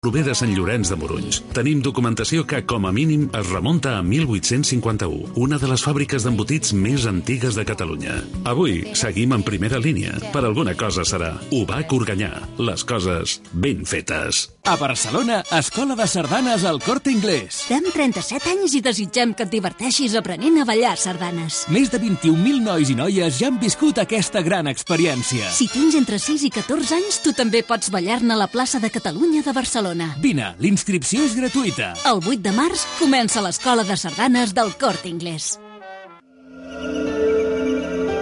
prové de Sant Llorenç de Morunys. Tenim documentació que, com a mínim, es remunta a 1851, una de les fàbriques d'embotits més antigues de Catalunya. Avui seguim en primera línia. Per alguna cosa serà. UBAC Organyà. Les coses ben fetes. A Barcelona, Escola de Sardanes al Corte Inglés. Fem 37 anys i desitgem que et diverteixis aprenent a ballar sardanes. Més de 21.000 nois i noies ja han viscut aquesta gran experiència. Si tens entre 6 i 14 anys, tu també pots ballar-ne a la plaça de Catalunya de Barcelona. Vine, l'inscripció és gratuïta. El 8 de març comença l'Escola de Sardanes del Corte Inglés.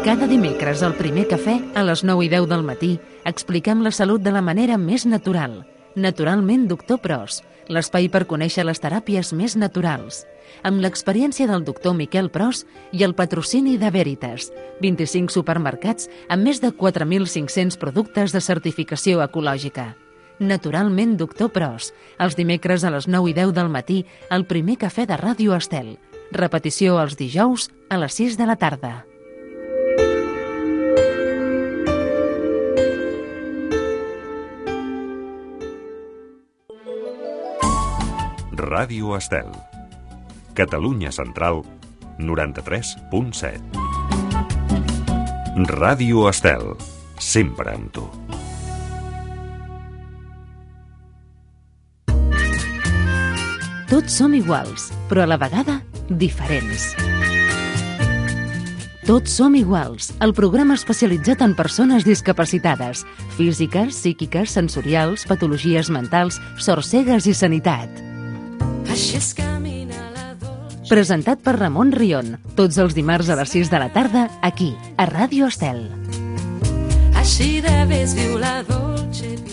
Cada dimecres al primer cafè, a les 9 i 10 del matí, expliquem la salut de la manera més natural. Naturalment Doctor Pros, l'espai per conèixer les teràpies més naturals. Amb l'experiència del doctor Miquel Pros i el patrocini de Veritas, 25 supermercats amb més de 4.500 productes de certificació ecològica. Naturalment Doctor Pros, els dimecres a les 9 i 10 del matí, al primer cafè de Ràdio Estel. Repetició els dijous a les 6 de la tarda. Ràdio Estel. Catalunya Central, 93.7. Ràdio Estel, sempre amb tu. Tots som iguals, però a la vegada diferents. Tots som iguals, el programa especialitzat en persones discapacitades, físiques, psíquiques, sensorials, patologies mentals, sorcegues i sanitat. Presentat per Ramon Rion, tots els dimarts a les 6 de la tarda, aquí, a Ràdio Estel. Així de vés viu la dolce vita.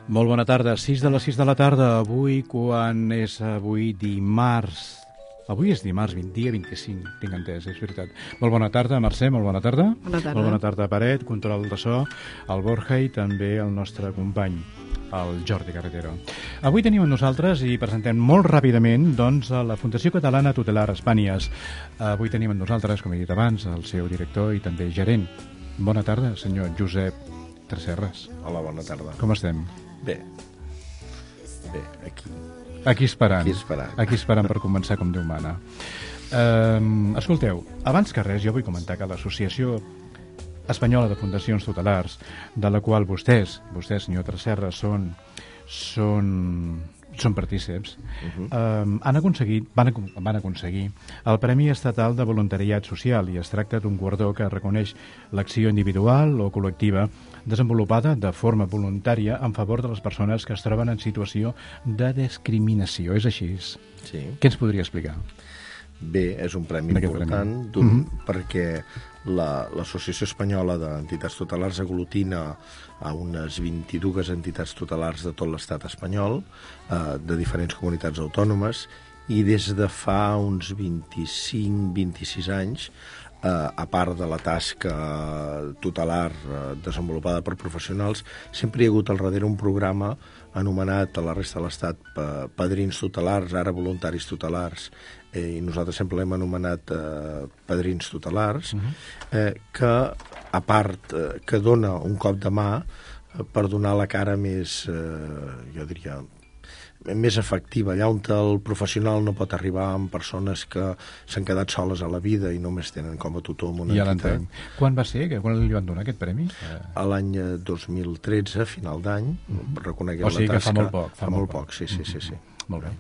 Molt bona tarda, 6 de les 6 de la tarda, avui quan és avui dimarts. Avui és dimarts, dia 25, tinc entès, és veritat. Molt bona tarda, Mercè, molt bona tarda. Bona tarda. Molt bona tarda, Paret, control de so, el Borja i també el nostre company, el Jordi Carretero. Avui tenim amb nosaltres i presentem molt ràpidament doncs, a la Fundació Catalana Tutelar Espànies. Avui tenim amb nosaltres, com he dit abans, el seu director i també gerent. Bona tarda, senyor Josep Tresserras. Hola, bona tarda. Com estem? Bé, aquí. Aquí esperant. Aquí esperant per començar com Déu mana. Escolteu, abans que res, jo vull comentar que l'Associació Espanyola de Fundacions Tutelars, de la qual vostès, senyor Tresserras, són partícips, van aconseguir el Premi Estatal de Voluntariat Social i es tracta d'un guardó que reconeix l'acció individual o col·lectiva desenvolupada de forma voluntària en favor de les persones que es troben en situació de discriminació. És així? Sí. Què ens podria explicar? Bé, és un premi important perquè l'Associació Espanyola d'Entitats Tutelars aglutina a unes 22 entitats tutelars de tot l'estat espanyol, de diferents comunitats autònomes, i des de fa uns 25-26 anys, a part de la tasca tutelar desenvolupada per professionals, sempre hi ha hagut al darrere un programa anomenat a la resta de l'estat Padrins Tutelars, ara Voluntaris Tutelars, i nosaltres sempre l'hem anomenat Padrins Tutelars, que, a part, que dona un cop de mà per donar la cara més, jo diria, més efectiva, allà on el professional no pot arribar amb persones que s'han quedat soles a la vida i només tenen com a tutor amb una entitat. Quan va ser? Quan li van donar aquest premi? A l'any 2013, final d'any, reconeguem la tasca. O sigui que fa molt poc. Fa molt poc, sí. Molt bé.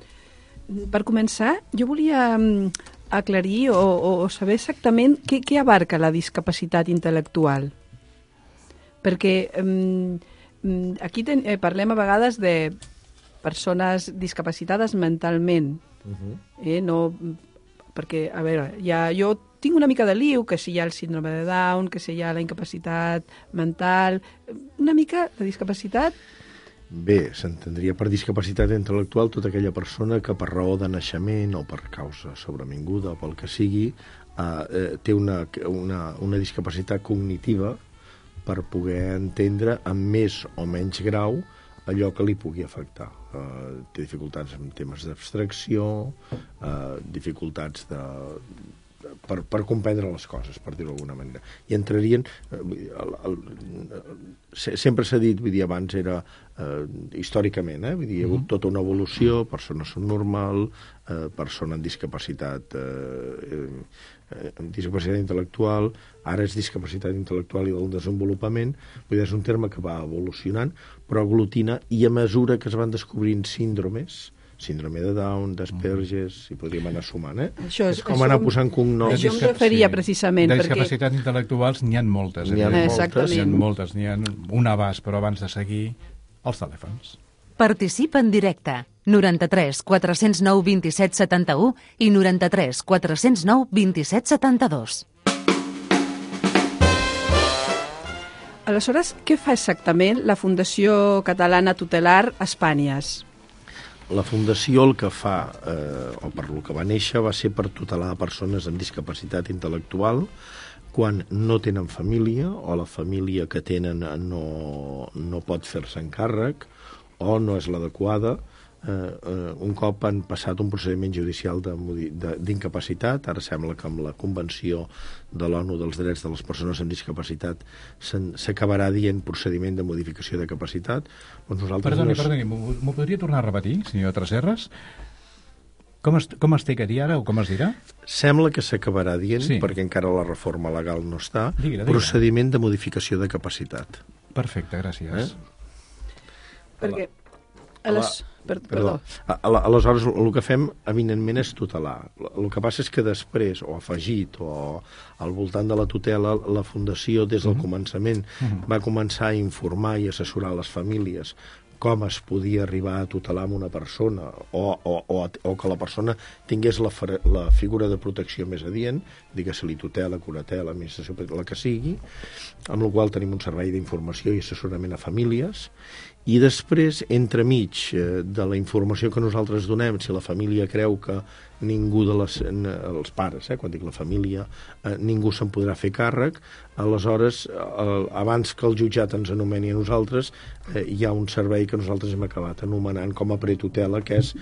Per començar, jo volia aclarir o saber exactament què abarca la discapacitat intel·lectual. Perquè aquí parlem a vegades de persones discapacitades mentalment. No, perquè, a veure, jo tinc una mica de liu, que si hi ha el síndrome de Down, que si hi ha la incapacitat mental, una mica de discapacitat. Bé, s'entendria per discapacitat intel·lectual tota aquella persona que per raó de naixement o per causa sobrevinguda o pel que sigui té una discapacitat cognitiva per poder entendre amb més o menys grau allò que li pugui afectar. Té dificultats en temes d'abstracció, dificultats per comprendre les coses, per dir-ho d'alguna manera. I entrarien... sempre s'ha dit, vull dir, abans era històricament, vull dir, hi ha hagut tota una evolució, persones són normal, persona amb discapacitat intel·lectual, ara és discapacitat intel·lectual i del desenvolupament, vull dir, és un terme que va evolucionant, però aglutina, i a mesura que es van descobrint síndromes, síndrome de Down, d'Asperges, i podríem anar sumant, és com anar posant cognoms. Això em referia precisament. De discapacitats intel·lectuals n'hi ha moltes. N'hi ha moltes, n'hi ha un abast, però abans de seguir, els telèfons. Participa en directe. 93 409 27 71 i 93 409 27 72. Aleshores, què fa exactament la Fundació Catalana Tutelar Espanyes? La Fundació el que fa, o per lo que va néixer, va ser per tutelar persones amb discapacitat intel·lectual quan no tenen família o la família que tenen no pot fer-se encàrrec o no és l'adequada. Un cop han passat un procediment judicial d'incapacitat, ara sembla que amb la Convenció de l'ONU dels Drets de les Persones amb Discapacitat s'acabarà dient procediment de modificació de capacitat. Perdoni, m'ho podria tornar a repetir, senyor Tresserras? Com es té que dir ara o com es dirà? Sembla que s'acabarà dient, perquè encara la reforma legal no està, procediment de modificació de capacitat. Perfecte, gràcies. Perquè... Perdó. Aleshores, el que fem, evidentment, és tutelar. El que passa és que després, o afegit, o al voltant de la tutela, la Fundació, des del començament, va començar a informar i assessorar les famílies com es podia arribar a tutelar amb una persona o que la persona tingués la figura de protecció més adient, digues-li tutela, curatela, administració, la que sigui, amb la qual tenim un servei d'informació i assessorament a famílies. I després, entremig de la informació que nosaltres donem, si la família creu que ningú els pares, quan dic la família, ningú se'n podrà fer càrrec, aleshores, abans que el jutjat ens anomeni a nosaltres, hi ha un servei que nosaltres hem acabat anomenant com a pretutela, que és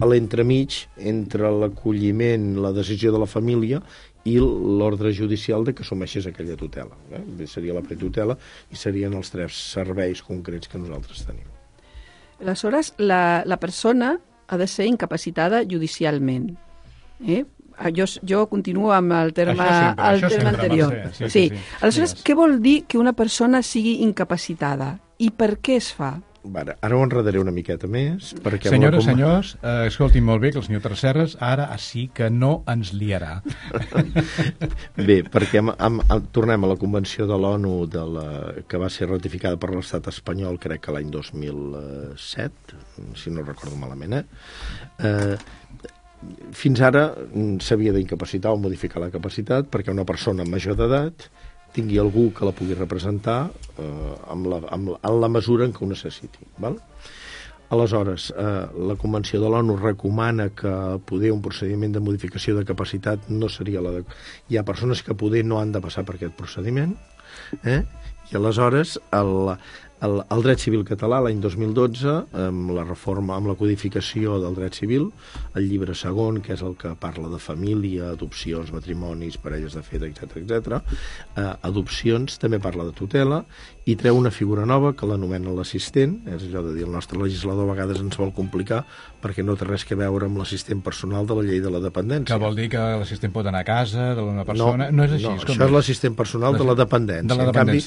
l'entremig entre l'acolliment, la decisió de la família i l'ordre judicial de que assumeixés aquella tutela. Seria la pretutela i serien els 3 serveis concrets que nosaltres tenim. Aleshores, la persona ha de ser incapacitada judicialment. Jo continuo amb el terme anterior. Sí. Aleshores, què vol dir que una persona sigui incapacitada? I per què es fa? Ara ho enredaré una miqueta més. Senyores, senyors, escoltin molt bé que el senyor Tresserras ara sí que no ens liarà. Bé, perquè tornem a la Convenció de l'ONU que va ser ratificada per l'estat espanyol, crec que l'any 2007, si no recordo malament. Fins ara s'havia d'incapacitar o modificar la capacitat perquè una persona major d'edat tingui algú que la pugui representar en la mesura en què ho necessiti. Aleshores, la Convenció de l'ONU recomana que poder un procediment de modificació de capacitat no seria l'adequat. Hi ha persones que poder no han de passar per aquest procediment, i aleshores el dret civil català l'any 2012, amb la reforma, amb la codificació del dret civil, el llibre segon, que és el que parla de família, adopcions, matrimonis, parelles de fet, etc. Adopcions, també parla de tutela, i treu una figura nova que l'anomena l'assistent. És allò de dir, el nostre legislador a vegades ens vol complicar perquè no té res a veure amb l'assistent personal de la llei de la dependència. Que vol dir que l'assistent pot anar a casa d'una persona? No és així. No, això és l'assistent personal de la dependència. En canvi,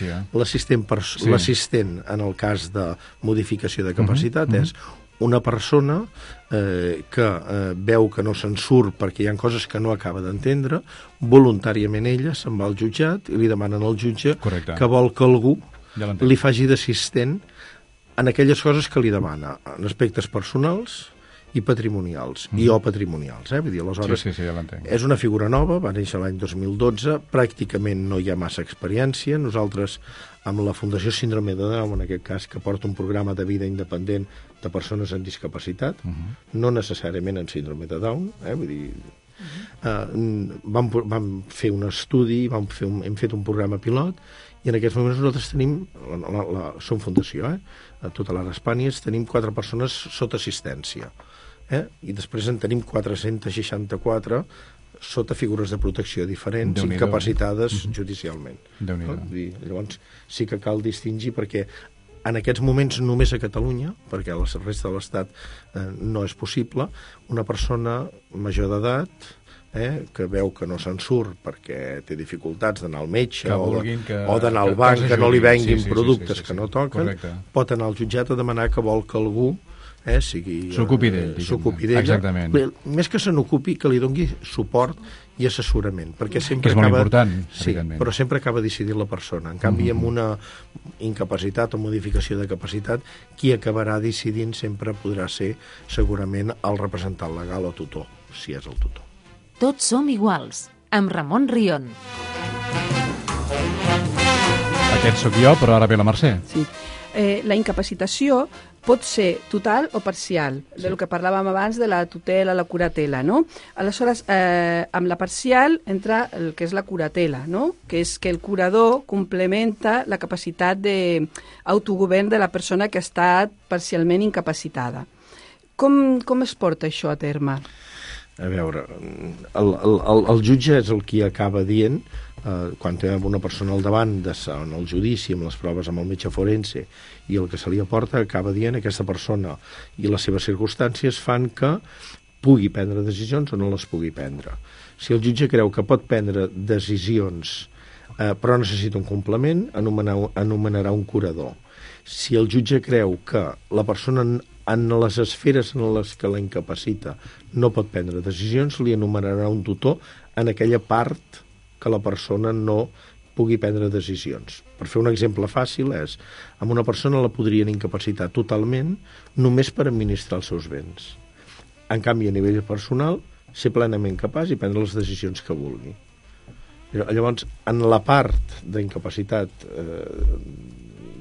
l'assistent en el cas de modificació de capacitat és una persona que veu que no se'n surt perquè hi ha coses que no acaba d'entendre, voluntàriament ella se'n va al jutjat i li demanen al jutge que vol que algú li faci d'assistent en aquelles coses que li demana, en aspectes personals i patrimonials, o patrimonials. Vull dir, aleshores, és una figura nova, va néixer l'any 2012, pràcticament no hi ha massa experiència. Nosaltres, amb la Fundació Síndrome de Down, en aquest cas, que porta un programa de vida independent de persones amb discapacitat, no necessàriament en síndrome de Down, vull dir, vam fer un estudi, hem fet un programa pilot, i en aquests moments nosaltres tenim, som fundació, a tota l'Ara Espanya, tenim 4 persones sota assistència, i després en tenim 464 sota figures de protecció diferents, incapacitades judicialment. Llavors sí que cal distingir, perquè en aquests moments només a Catalunya, perquè a la resta de l'Estat no és possible, una persona major d'edat que veu que no se'n surt perquè té dificultats d'anar al metge o d'anar al banc, que no li venguin productes que no toquen, pot anar al jutjat a demanar que vol que algú s'ocupi d'ella. Més que se n'ocupi, que li doni suport i assessorament, perquè sempre que és molt important, però sempre acaba decidint la persona. En canvi, amb una incapacitat o modificació de capacitat, qui acabarà decidint sempre podrà ser segurament el representant legal o tutor, si és el tutor. Tots som iguals, amb Ramon Rion. Aquest sóc jo, però ara ve la Mercè. Sí. La incapacitació pot ser total o parcial, del que parlàvem abans de la tutela, la curatela, no? Aleshores, amb la parcial entra el que és la curatela, no? Que és que el curador complementa la capacitat d'autogovern de la persona que ha estat parcialment incapacitada. Com es porta això a terme? A veure, el jutge és el qui acaba dient, quan té una persona al davant en el judici, amb les proves amb el metge forense, i el que se li aporta acaba dient aquesta persona i les seves circumstàncies fan que pugui prendre decisions o no les pugui prendre. Si el jutge creu que pot prendre decisions però necessita un complement, anomenarà un curador. Si el jutge creu que la persona en les esferes en les que la incapacita no pot prendre decisions, li anomenarà un tutor en aquella part que la persona no pugui prendre decisions. Per fer un exemple fàcil és, amb una persona la podrien incapacitar totalment només per administrar els seus béns. En canvi, a nivell personal, ser plenament capaç i prendre les decisions que vulgui. Llavors, en la part d'incapacitat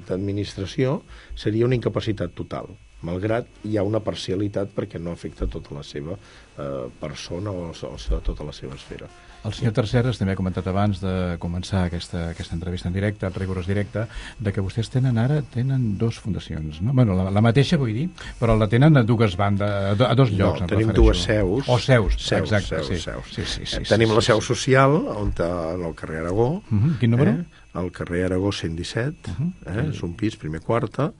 d'administració, seria una incapacitat total, malgrat hi ha una parcialitat perquè no afecta tota la seva persona o tota la seva esfera. El senyor Terceres també ha comentat abans de començar aquesta entrevista en directe, el rigorós directe, de que vostès tenen dues fundacions, no? Bueno, la mateixa, vull dir, però la tenen a dues bandes, a dos llocs. No, tenim dues seus. O seus, exacte. Sí. Tenim la seu social, en el carrer Aragó. Quin número? Al carrer Aragó 117, és un pis, primer quarta,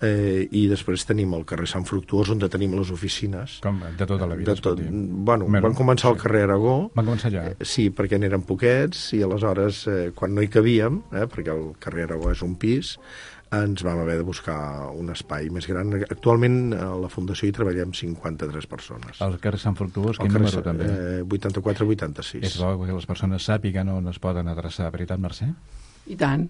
i després tenim el carrer Sant Fructuós, on tenim les oficines. Com de tota la vida, Bueno, van començar al carrer Aragó. Van començar allà? Sí, perquè n'eren poquets, i aleshores, quan no hi cabíem, perquè el carrer Aragó és un pis, ens vam haver de buscar un espai més gran. Actualment a la Fundació hi treballem 53 persones. Al carrer Sant Fructuós, quin número també? 84-86. És bo que les persones sàpiguen on es poden adreçar, veritat, Mercè? I tant.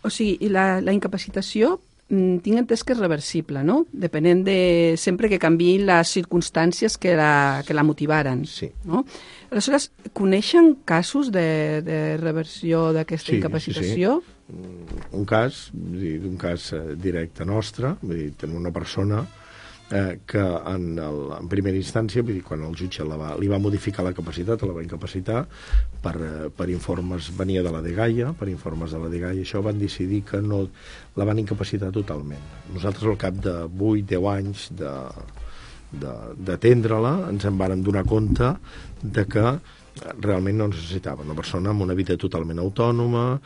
O sigui, la incapacitació tinc entès que és reversible, no? Depenent de sempre que canviïn les circumstàncies que la motivaren. Sí. No? Aleshores, coneixen casos de reversió d'aquesta incapacitació? Sí. Un cas directe nostre, vull dir, tenim una persona que en primera instància, vull dir, quan el jutge li va modificar la capacitat, la va incapacitar per informes, venia de la DGAIA, per informes de la DGAIA, això van decidir que no la van incapacitar totalment. Nosaltres al cap de 8-10 anys d'atendre-la ens en vàrem donar compte de que realment no necessitava una persona amb una vida totalment autònoma,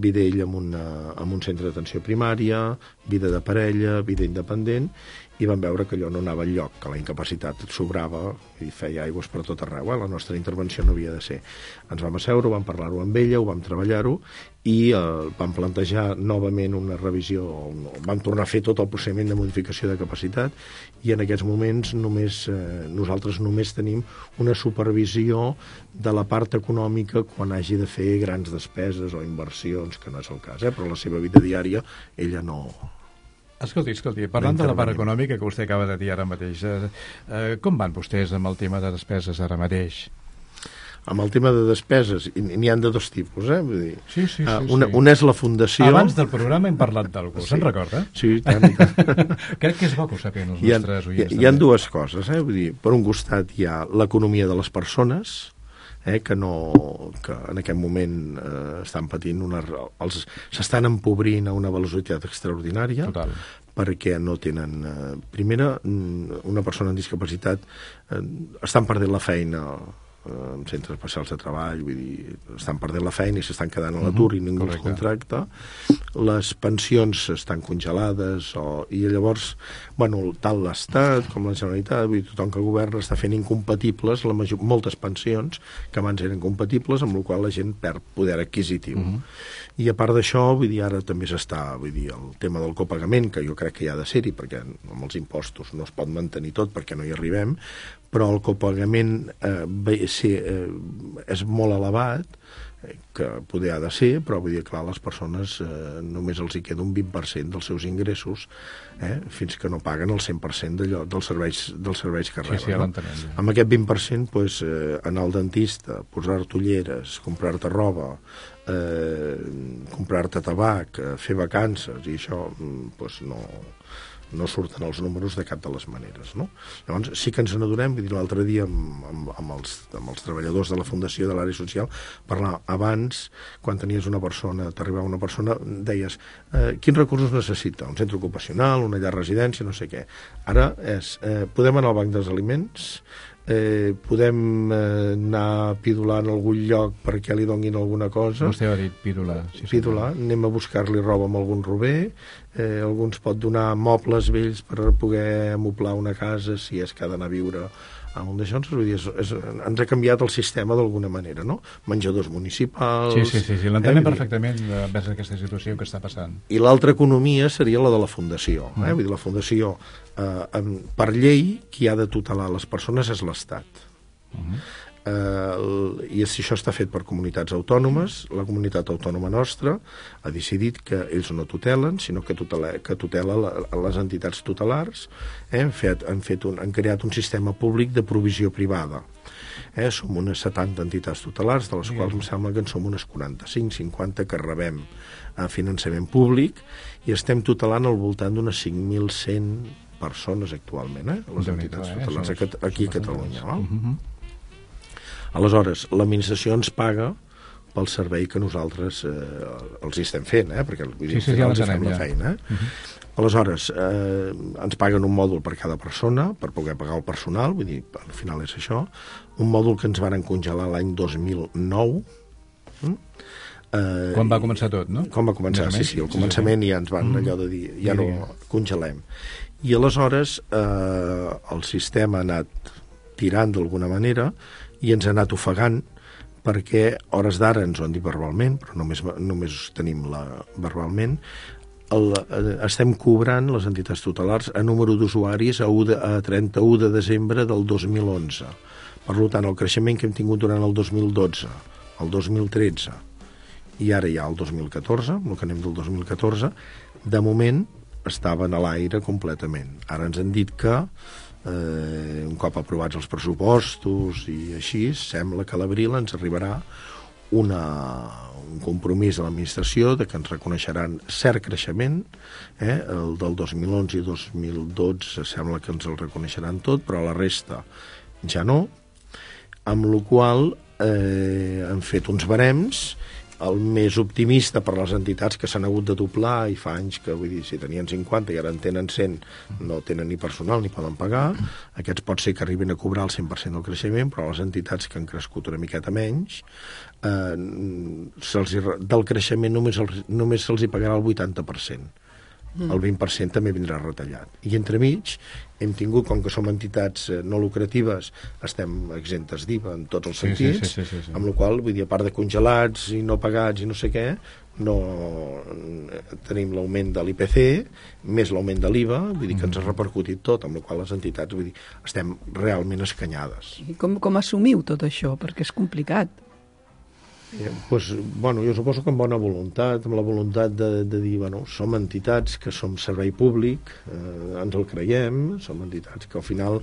vida ell amb un centre d'atenció primària, vida de parella, vida independent, i vam veure que allò no anava enlloc, que la incapacitat sobrava i feia aigües per tot arreu. La nostra intervenció no havia de ser. Ens vam asseure, vam parlar-ho amb ella, ho vam treballar-ho i vam plantejar novament una revisió, vam tornar a fer tot el procediment de modificació de capacitat i en aquests moments nosaltres només tenim una supervisió de la part econòmica quan hagi de fer grans despeses o inversions, que no és el cas, però la seva vida diària ella no... Escolti, parlant de la part econòmica que vostè acaba de dir ara mateix, com van vostès amb el tema de despeses ara mateix? Amb el tema de despeses, n'hi ha de dos tipus, Vull dir, sí. Una és la fundació... Abans del programa hem parlat d'algú, se'n recorda? Sí, tant. Crec que és bo que ho sapien els nostres oients. Hi ha dues coses, Vull dir, per un costat hi ha l'economia de les persones, que en aquest moment estan patint s'estan empobrint a una velocitat extraordinària. Total. Perquè no tenen... Primera, una persona amb discapacitat estan perdent la feina en centres especials de treball, vull dir, estan perdent la feina i s'estan quedant a l'atur i ningú els contracta. Les pensions estan congelades i llavors, tant l'Estat com la Generalitat, vull dir, tothom que governa està fent incompatibles moltes pensions que abans eren compatibles, amb la qual la gent perd poder adquisitiu. I a part d'això, vull dir, ara també s'està, vull dir, el tema del copagament, que jo crec que hi ha de ser-hi, perquè amb els impostos no es pot mantenir tot perquè no hi arribem, però el copagament és molt elevat, que poder ha de ser, però vull dir, clar, les persones només els hi queda un 20% dels seus ingressos, fins que no paguen el 100% dels serveis que reben. Sí, no? Amb aquest 20%, doncs, anar al dentista, posar-te ulleres, comprar-te roba, comprar-te tabac, fer vacances, i això doncs, no surten els números de cap de les maneres, no? Llavors, sí que ens n'adonem, vull dir, l'altre dia amb els treballadors de la Fundació de l'Àrea Social, parlar abans, quan tenies una persona, t'arribava una persona, deies, quins recursos necessita? Un centre ocupacional, una llar residència, no sé què. Ara podem anar al banc dels aliments, podem anar a pidolar en algun lloc perquè li donguin alguna cosa. Vostè ha dit pidolar. Pidolar, anem a buscar-li roba amb algun rober, algú ens pot donar mobles vells per poder amoblar una casa si és que ha d'anar a viure a un d'això. Ens ha canviat el sistema d'alguna manera, no? Menjadors municipals... Sí, l'entenem perfectament vers aquesta situació que està passant. I l'altra economia seria la de la Fundació. Vull dir, la Fundació, per llei, qui ha de tutelar les persones és l'Estat. I això està fet per comunitats autònomes. La comunitat autònoma nostra ha decidit que ells no tutelen, sinó que tutela les entitats tutelars. Han creat un sistema públic de provisió privada. Som unes 70 entitats tutelars, de les quals em sembla que en som unes 45-50 que rebem finançament públic, i estem tutelant al voltant d'unes 5.100 persones actualment, les entitats tutelars aquí a Catalunya. Aleshores, l'administració ens paga pel servei que nosaltres els hi estem fent, perquè els hi fem la feina. Aleshores, ens paguen un mòdul per cada persona, per poder pagar el personal, vull dir, al final és això, un mòdul que ens van congelar l'any 2009. Quan va començar tot, no? Quan va començar, sí, al començament ja ens van allò de dir, ja no congelem. I aleshores el sistema ha anat tirant d'alguna manera i ens ha anat ofegant, perquè hores d'ara ens ho han dit verbalment, però només tenim verbalment, estem cobrant les entitats tutelars a número d'usuaris a 31 de desembre del 2011. Per tant, el creixement que hem tingut durant el 2012, el 2013 i ara ja el 2014, el que anem del 2014, de moment estaven a l'aire completament. Ara ens han dit que un cop aprovats els pressupostos i així, sembla que a l'abril ens arribarà un compromís de l'administració de que ens reconeixeran cert creixement, el del 2011 i 2012 sembla que ens el reconeixeran tot, però la resta ja no, amb la qual han fet uns barems. El més optimista per les entitats que s'han hagut de doblar, i fa anys que, vull dir, si tenien 50 i ara en tenen 100, no tenen ni personal ni poden pagar. Aquests pot ser que arribin a cobrar el 100% del creixement, però les entitats que han crescut una miqueta menys, del creixement només se'ls hi pagarà el 80%. El 20% també vindrà retallat. I entremig hem tingut, com que som entitats no lucratives, estem exemptes d'IVA en tots els sentits, amb la qual, vull dir, a part de congelats i no pagats i no sé què, no tenim l'augment de l'IPC, més l'augment de l'IVA, vull dir que ens ha repercutit tot, amb la qual les entitats, vull dir, estem realment escanyades. I com assumiu tot això? Perquè és complicat. Jo suposo que amb bona voluntat, amb la voluntat de dir, som entitats que som servei públic, ens el creiem, som entitats que al final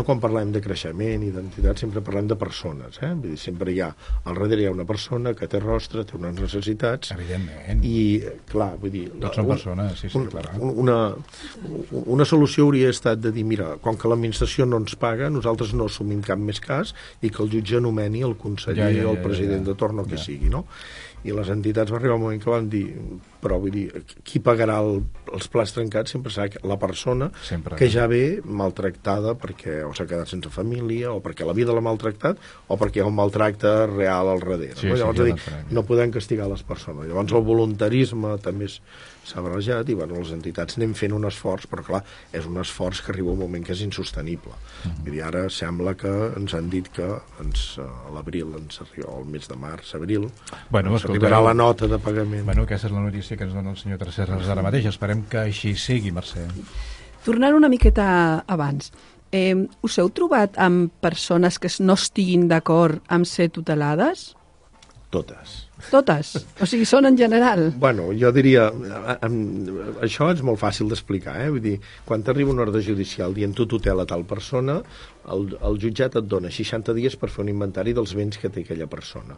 quan parlem de creixement i d'entitats sempre parlem de persones, vull dir, sempre al darrere hi ha una persona que té rostre, té unes necessitats. Evidentment. I, clar, vull dir... Tots són persones, sí, clar. Una solució hauria estat de dir, mira, com que l'administració no ens paga, nosaltres no assumim cap més cas i que el jutge anomeni el conseller o el president de torn o que sigui, no? I les entitats va arribar un moment que van dir, però vull dir, qui pagarà els plats trencats sempre serà la persona que ja ve maltractada perquè o s'ha quedat sense família, o perquè la vida l'ha maltractat, o perquè hi ha un maltracte real al darrere. Sí, no? Llavors, sí, no podem castigar les persones. Llavors el voluntarisme també s'ha barrejat i les entitats anem fent un esforç, però clar, és un esforç que arriba un moment que és insostenible. Vull dir, ara sembla que ens han dit que a l'abril ens arriba, el mes de març, abril, ens arribarà la nota de pagament. Bueno, aquesta és la notícia que ens dona el senyor Tresserras ara mateix. Esperem que així sigui, Mercè. Tornant una miqueta abans, us heu trobat amb persones que no estiguin d'acord amb ser tutelades? Totes. Totes? O sigui, són en general? Bueno, jo diria... Això és molt fàcil d'explicar, Vull dir, quan t'arriba una ordre judicial dient tu tutela tal persona, el jutjat et dona 60 dies per fer un inventari dels béns que té aquella persona.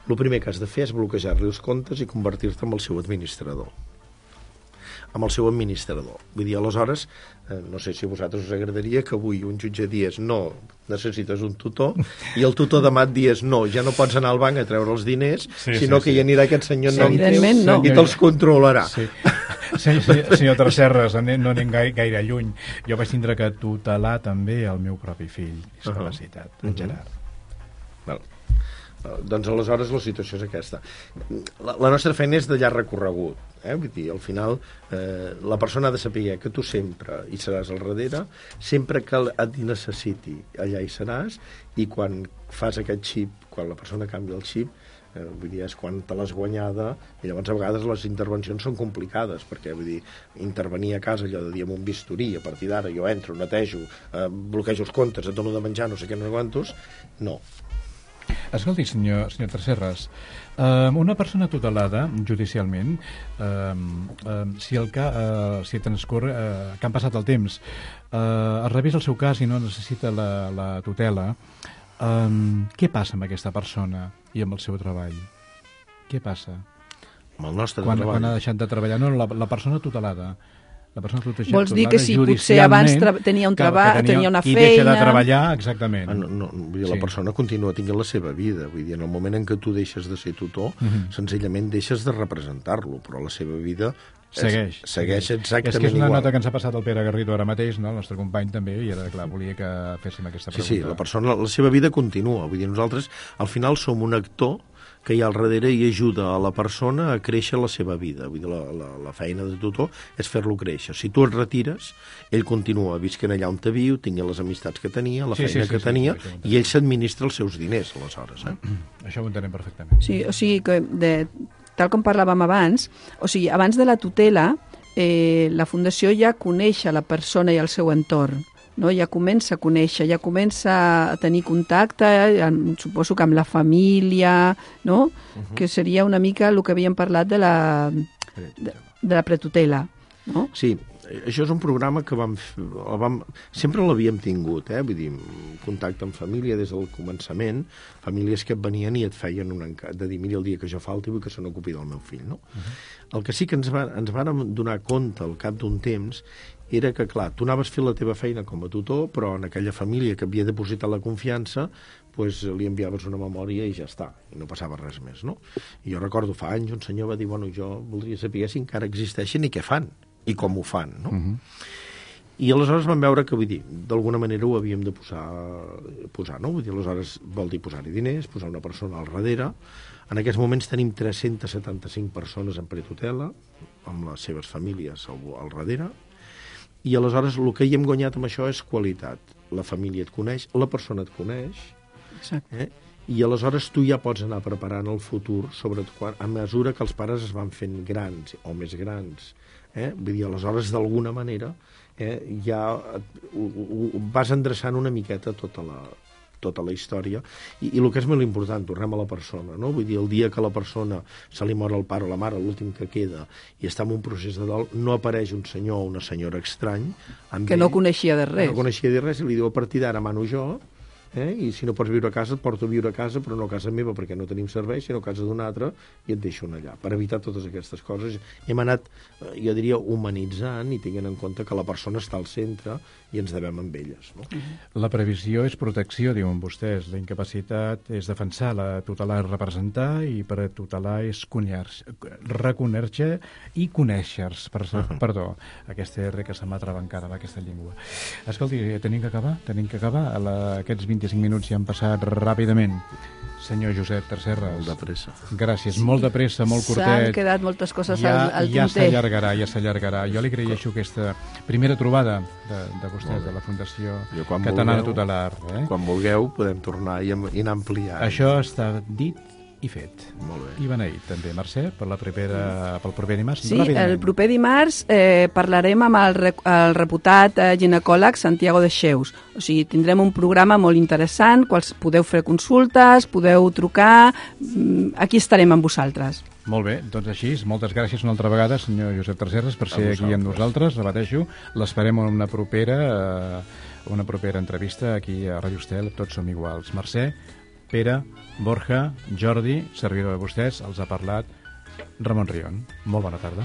El primer que has de fer és bloquejar-li els comptes i convertir-te en el seu administrador. Vull dir, aleshores, no sé si a vosaltres us agradaria que avui un jutge digués no, necessites un tutor, i el tutor demà et digués no, ja no pots anar al banc a treure els diners, sinó que hi anirà aquest senyor nom i te'ls controlarà. Senyor Tresserras, no anem gaire lluny. Jo vaig tindre que tutelar també el meu propi fill, discapacitat, en Gerard. Doncs aleshores la situació és aquesta. La nostra feina és de llarg recorregut. Vull dir, al final la persona ha de saber que tu sempre hi seràs al darrere, sempre que et necessiti allà hi seràs, i quan fas aquest xip, quan la persona canvia el xip, vull dir, és quan te l'has guanyada, i llavors a vegades les intervencions són complicades, perquè vull dir, intervenir a casa allò de dir amb un bisturí, a partir d'ara jo entro, netejo, bloquejo els comptes, et dono de menjar, no sé què, no sé quantos, no. Escolti, senyor Tresserras, una persona tutelada judicialment, si transcorre, que han passat el temps, es revisa el seu cas i no necessita la tutela, què passa amb aquesta persona i amb el seu treball? Què passa? Amb el nostre treball? Quan ha deixat de treballar? No, la persona tutelada. Vols dir que si potser abans tenia un treball, tenia una feina... I deixa de treballar, exactament. La persona continua tenint la seva vida. Vull dir, en el moment en què tu deixes de ser tutor, senzillament deixes de representar-lo, però la seva vida segueix exactament igual. És que és una nota que ens ha passat el Pere Garrido ara mateix, no? El nostre company també, i era clar, volia que féssim aquesta pregunta. Sí, la persona, la seva vida continua. Vull dir, nosaltres al final som un actor que hi ha al darrere i ajuda a la persona a créixer la seva vida. Vull dir, la feina de tutor és fer-lo créixer. Si tu et retires, ell continua visquent allà on te viu, tingui les amistats que tenia, la feina que tenia, i ell s'administra els seus diners, aleshores. Això ho entenem perfectament. Sí, o sigui, que tal com parlàvem abans, o sigui, abans de la tutela, la Fundació ja coneix a la persona i el seu entorn. No? Ja comença a conèixer, ja comença a tenir contacte, suposo que amb la família, no? Que seria una mica el que havíem parlat de la pretutela. No? Sí, això és un programa que sempre l'havíem tingut, vull dir, contacte amb família des del començament, famílies que et venien i et feien un encat de dir, mira, el dia que jo falti vull que se n'ocupi del meu fill, no? El que sí que ens vàrem donar compte al cap d'un temps era que, clar, tu anaves fent la teva feina com a tutor, però en aquella família que havia depositat la confiança, doncs li enviaves una memòria i ja està, i no passava res més, no? I jo recordo fa anys un senyor va dir, bueno, jo voldria saber si encara existeixen i què fan, i com ho fan, no? I aleshores vam veure que, vull dir, d'alguna manera ho havíem de posar, no? Vull dir, aleshores vol dir posar-hi diners, posar una persona al darrere. En aquests moments tenim 375 persones en pretutela, amb les seves famílies al darrere, i aleshores el que hi hem guanyat amb això és qualitat. La família et coneix, la persona et coneix, i aleshores tu ja pots anar preparant el futur, sobretot a mesura que els pares es van fent grans o més grans. Vull dir, aleshores, d'alguna manera, ja vas endreçant una miqueta tota la història, i el que és molt important, tornem a la persona, no? Vull dir, el dia que la persona se li mor el pare o la mare, l'últim que queda, i està en un procés de dol, no apareix un senyor o una senyora estrany que no coneixia de res. No coneixia de res, i li diu, a partir d'ara mano jo, I si no pots viure a casa, et porto a viure a casa, però no a casa meva perquè no tenim servei, sinó a casa d'un altre, i et deixo allà, per evitar totes aquestes coses. Hem anat, jo diria, humanitzant i tenint en compte que la persona està al centre i ens devem amb elles. No? La previsió és protecció, diuen vostès. La incapacitat és defensar, la tutelar és representar, i per a tutelar és reconèixer i conèixer-se. Perdó, aquesta R que se m'ha trabancat amb aquesta llengua. Escolti, tenim que acabar. Aquests 25 minuts ja han passat ràpidament. Senyor Josep Tresserras. Molt de pressa. Gràcies, molt de pressa, molt curtet. S'han quedat moltes coses al tinter. Ja s'allargarà. Jo li agraeixo aquesta primera trobada de vostès, de la Fundació Catalana Tutelar. Quan vulgueu podem tornar i anar ampliant. Això està dit i fet. Molt bé. I beneït, també. Mercè, pel proper dimarts? Sí, el proper dimarts parlarem amb el reputat ginecòleg Santiago de Xeus. O sigui, tindrem un programa molt interessant, podeu fer consultes, podeu trucar, aquí estarem amb vosaltres. Molt bé, doncs així, moltes gràcies una altra vegada, senyor Josep Tresserras, per ser aquí amb nosaltres, repeteixo, l'esperem en una propera entrevista aquí a Ràdio Estel, tots som iguals. Mercè, Pere, Borja, Jordi, servidor de vostès, els ha parlat Ramon Rion. Molt bona tarda.